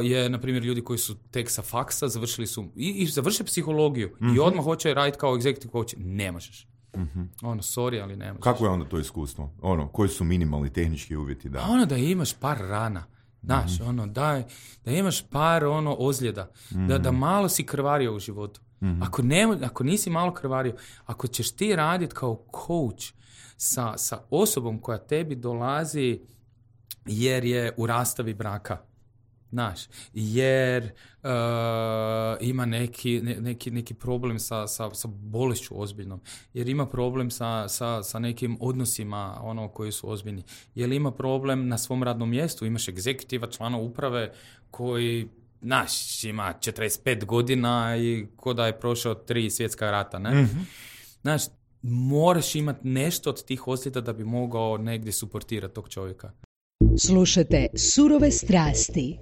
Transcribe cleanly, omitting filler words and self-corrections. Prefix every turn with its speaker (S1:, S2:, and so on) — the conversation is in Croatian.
S1: je, na primjer, ljudi koji su tek sa faksa, završili su i završe psihologiju i odmah hoće raditi kao executive coach. Ne možeš. Sorry, ali ne možeš.
S2: Kako je onda to iskustvo? Koji su minimalni tehnički uvjeti?
S1: Da imaš par rana. Znaš, da imaš par ozljeda. Da malo si krvario u životu. Ako nisi malo krvario, ako ćeš ti raditi kao coach sa osobom koja tebi dolazi jer je u rastavi braka, znaš, jer ima neki problem sa bolešću ozbiljnom, jer ima problem sa nekim odnosima koji su ozbiljni, jer ima problem na svom radnom mjestu, imaš egzekutiva, člana uprave koji, znaš, ima 45 godina i ko da je prošao 3 svjetska rata, ne? Znaš, moraš imati nešto od tih ozljeda da bi mogao negdje suportirati tog čovjeka.
S3: Slušate Surove strasti.